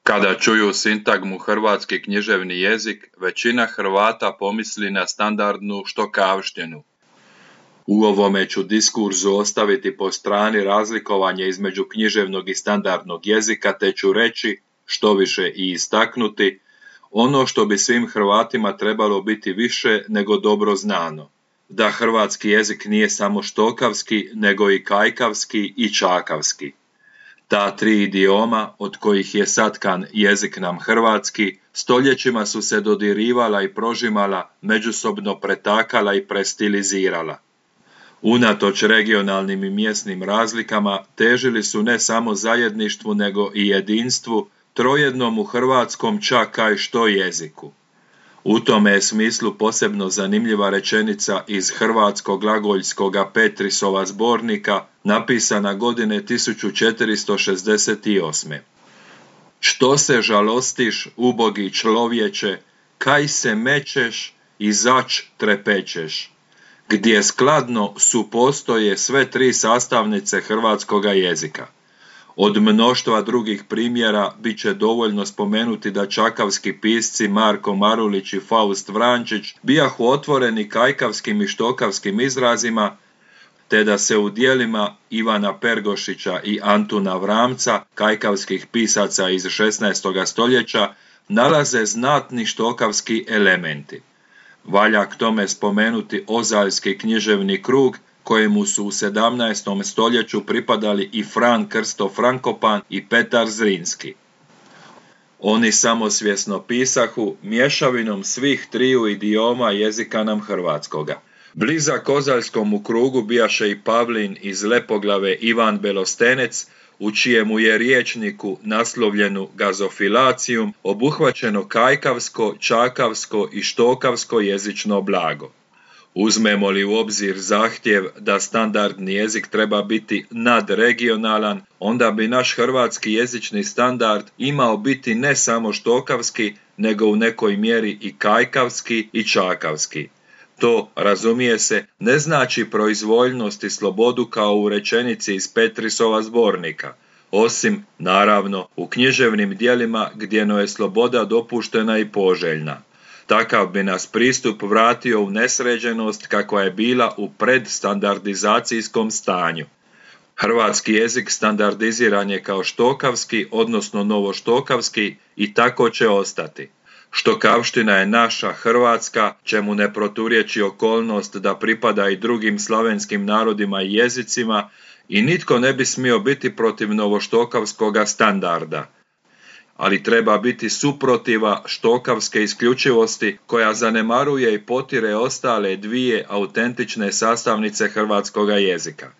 Kada čuju sintagmu hrvatski književni jezik, većina Hrvata pomisli na standardnu štokavštinu. U ovome ću diskurzu ostaviti po strani razlikovanje između književnog i standardnog jezika, te ću reći, što više i istaknuti, ono što bi svim Hrvatima trebalo biti više nego dobro znano, da hrvatski jezik nije samo štokavski, nego i kajkavski i čakavski. Ta tri idioma, od kojih je satkan jezik nam hrvatski, stoljećima su se dodirivala i prožimala, međusobno pretakala i prestilizirala. Unatoč regionalnim i mjesnim razlikama, težili su ne samo zajedništvu, nego i jedinstvu, trojednom u hrvatskom čak kaj što jeziku. U tome je smislu posebno zanimljiva rečenica iz hrvatskog glagoljskoga Petrisova zbornika, napisana godine 1468. Što se žalostiš, ubogi človječe, kaj se mečeš i zač trepećeš, gdje skladno supostoje sve tri sastavnice hrvatskoga jezika. Od mnoštva drugih primjera bit će dovoljno spomenuti da čakavski pisci Marko Marulić i Faust Vrančić bijahu otvoreni kajkavskim i štokavskim izrazima, te da se u dijelima Ivana Pergošića i Antuna Vramca, kajkavskih pisaca iz 16. stoljeća, nalaze znatni štokavski elementi. Valja k tome spomenuti Ozaljski književni krug, kojemu su u 17. stoljeću pripadali i Fran Krsto Frankopan i Petar Zrinski. Oni samosvjesno pisahu mješavinom svih triju idioma jezika nam hrvatskoga. Blizak Ozaljskomu krugu bijaše i Pavlin iz Lepoglave Ivan Belostenec, u čijemu je riječniku naslovljenu Gazofilacijum obuhvaćeno kajkavsko, čakavsko i štokavsko jezično blago. Uzmemo li u obzir zahtjev da standardni jezik treba biti nadregionalan, onda bi naš hrvatski jezični standard imao biti ne samo štokavski, nego u nekoj mjeri i kajkavski i čakavski. To, razumije se, ne znači proizvoljnost i slobodu kao u rečenici iz Petrisova zbornika, osim, naravno, u književnim djelima gdje je sloboda dopuštena i poželjna. Takav bi nas pristup vratio u nesređenost kakva je bila u predstandardizacijskom stanju. Hrvatski jezik standardiziran je kao štokavski, odnosno novoštokavski, i tako će ostati. Štokavština je naša hrvatska, čemu ne proturječi okolnost da pripada i drugim slavenskim narodima i jezicima, i nitko ne bi smio biti protiv novoštokavskoga standarda. Ali treba biti suprotiva štokavske isključivosti koja zanemaruje i potire ostale dvije autentične sastavnice hrvatskoga jezika.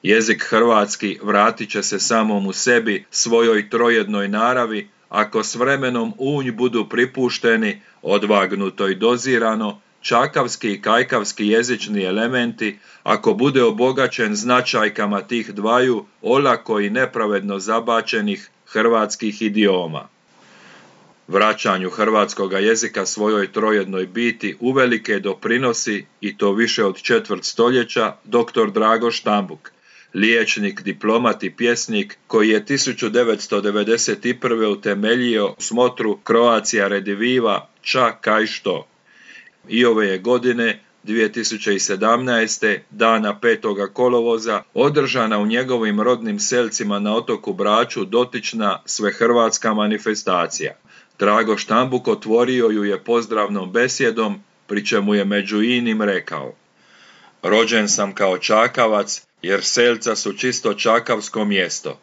Jezik hrvatski vratit će se samom u sebi, svojoj trojednoj naravi, ako s vremenom u nj budu pripušteni, odvagnuto i dozirano, čakavski i kajkavski jezični elementi, ako bude obogaćen značajkama tih dvaju olako i nepravedno zabačenih hrvatskih idioma. Vraćanju hrvatskoga jezika svojoj trojednoj biti uvelike doprinosi, i to više od četvrt stoljeća, dr. Drago Štambuk, liječnik, diplomat i pjesnik koji je 1991. utemeljio smotru Croatia Rediviva ča kaj što. I ove je godine, 2017. dana 5. kolovoza, održana u njegovim rodnim selcima na otoku Braču dotična svehrvatska manifestacija. Drago Štambuk otvorio ju je pozdravnom besjedom, pri čemu je među inim rekao: rođen sam kao čakavac, jer selca su čisto čakavsko mjesto.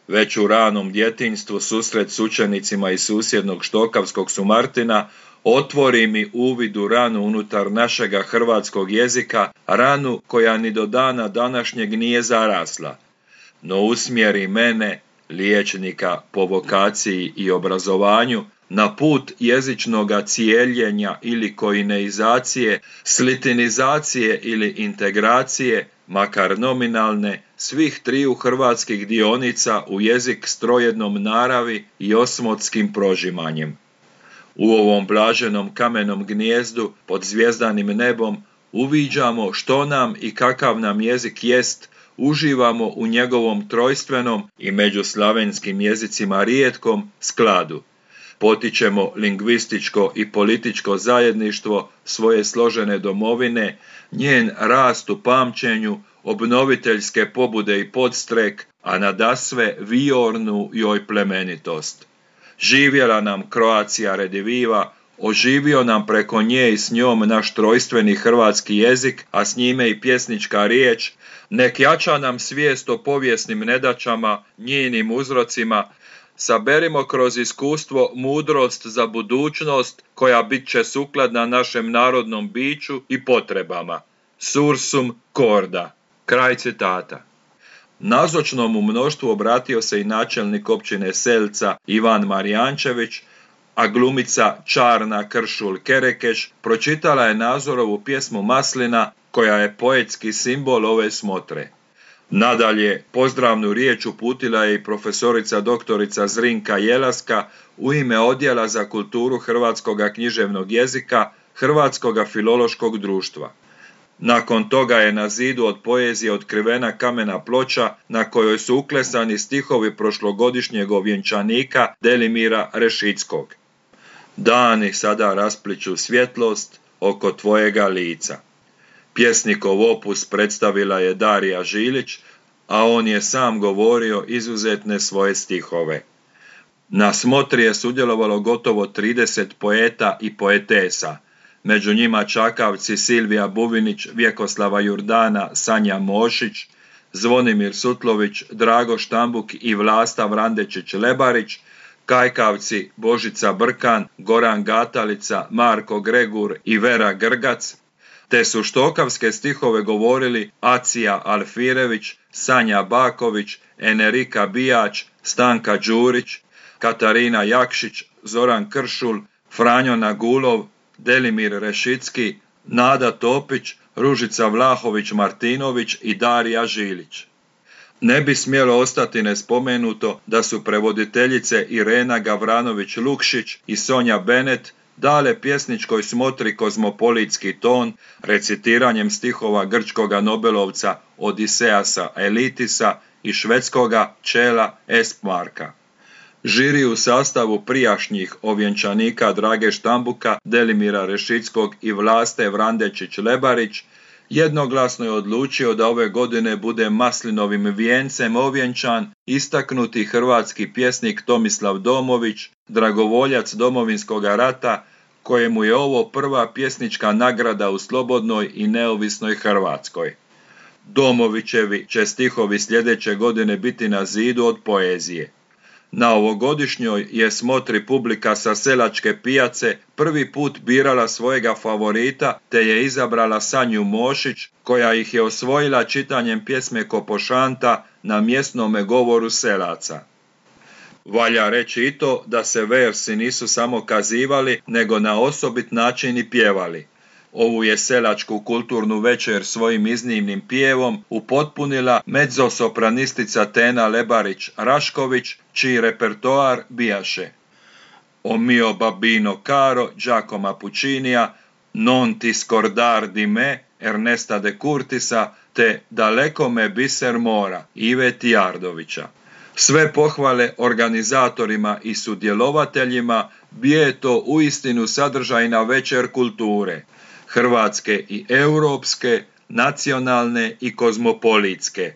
Već u ranom djetinjstvu susret s učenicima iz susjednog štokavskog Sumartina otvori mi uvid u ranu unutar našega hrvatskog jezika, ranu koja ni do dana današnjeg nije zarasla. No usmjeri mene, liječnika po vokaciji i obrazovanju, na put jezičnoga cijeljenja ili koineizacije, slitinizacije ili integracije, makar nominalne, svih triju hrvatskih dionica u jezik s trojednom naravi i osmotskim prožimanjem. U ovom blaženom kamenom gnijezdu pod zvjezdanim nebom uviđamo što nam i kakav nam jezik jest uživamo u njegovom trojstvenom i među slavenskim jezicima rijetkom skladu. Potičemo lingvističko i političko zajedništvo svoje složene domovine, njen rast u pamćenju, obnoviteljske pobude i podstrek, a nadasve viornu joj plemenitost. Živjela nam Croatia rediviva, oživio nam preko nje i s njom naš trojstveni hrvatski jezik, a s njime i pjesnička riječ, nek jača nam svijest o povijesnim nedaćama, njenim uzrocima, saberimo kroz iskustvo mudrost za budućnost koja bit će sukladna našem narodnom biću i potrebama. Sursum corda. Kraj citata. Nazočnom u mnoštvu obratio se i načelnik općine Selca Ivan Marijančević, a glumica Čarna Kršul Kerekeš pročitala je Nazorovu pjesmu Maslina, koja je poetski simbol ove smotre. Nadalje, pozdravnu riječ uputila je i profesorica doktorica Zrinka Jelaska u ime Odjela za kulturu hrvatskoga književnog jezika Hrvatskoga filološkog društva. Nakon toga je na zidu od poezije otkrivena kamena ploča na kojoj su uklesani stihovi prošlogodišnjeg ovjenčanika Delimira Rešickog. Dani sada raspliću svjetlost oko tvojega lica. Pjesnikov opus predstavila je Darija Žilić, a on je sam govorio izuzetne svoje stihove. Na smotri je sudjelovalo gotovo 30 poeta i poetesa, među njima čakavci Silvija Buvinić, Vjekoslava Jurdana, Sanja Mošić, Zvonimir Sutlović, Drago Štambuk i Vlasta Vrandečić-Lebarić, kajkavci Božica Brkan, Goran Gatalica, Marko Gregur i Vera Grgac, te su štokavske stihove govorili Acija Alfirević, Sanja Baković, Enerika Bijač, Stanka Đurić, Katarina Jakšić, Zoran Kršul, Franjo Nagulov, Delimir Rešicki, Nada Topić, Ružica Vlahović-Martinović i Darija Žilić. Ne bi smjelo ostati nespomenuto da su prevoditeljice Irena Gavranović-Lukšić i Sonja Benet dale pjesničkoj smotri kozmopolitski ton recitiranjem stihova grčkoga nobelovca Odiseasa Elitisa i švedskoga Čela Espmarka. Žiri u sastavu prijašnjih ovjenčanika Drage Štambuka, Delimira Rešickog i Vlaste Vrandečić-Lebarić jednoglasno je odlučio da ove godine bude maslinovim vijencem ovjenčan istaknuti hrvatski pjesnik Tomislav Domović, dragovoljac Domovinskog rata, kojemu je ovo prva pjesnička nagrada u slobodnoj i neovisnoj Hrvatskoj. Domovićevi će stihovi sljedeće godine biti na zidu od poezije. Na ovogodišnjoj je smotri publika sa Selačke pijace prvi put birala svojega favorita, te je izabrala Sanju Mošić, koja ih je osvojila čitanjem pjesme Kopošanta na mjesnome govoru Selaca. Valja reći i to da se versi nisu samo kazivali, nego na osobit način i pjevali. Ovu je selačku kulturnu večer svojim iznimnim pjevom upotpunila mezzosopranistica Tena Lebarić-Rašković, čiji repertoar bijaše O mio babino caro Giacomo Puccinija, Non ti scordar di me Ernesta de Curtisa te Daleko me biser mora Ive Tijardovića. Sve pohvale organizatorima i sudjelovateljima, bio je to uistinu sadržajna večer kulture, hrvatske i europske, nacionalne i kozmopolitske.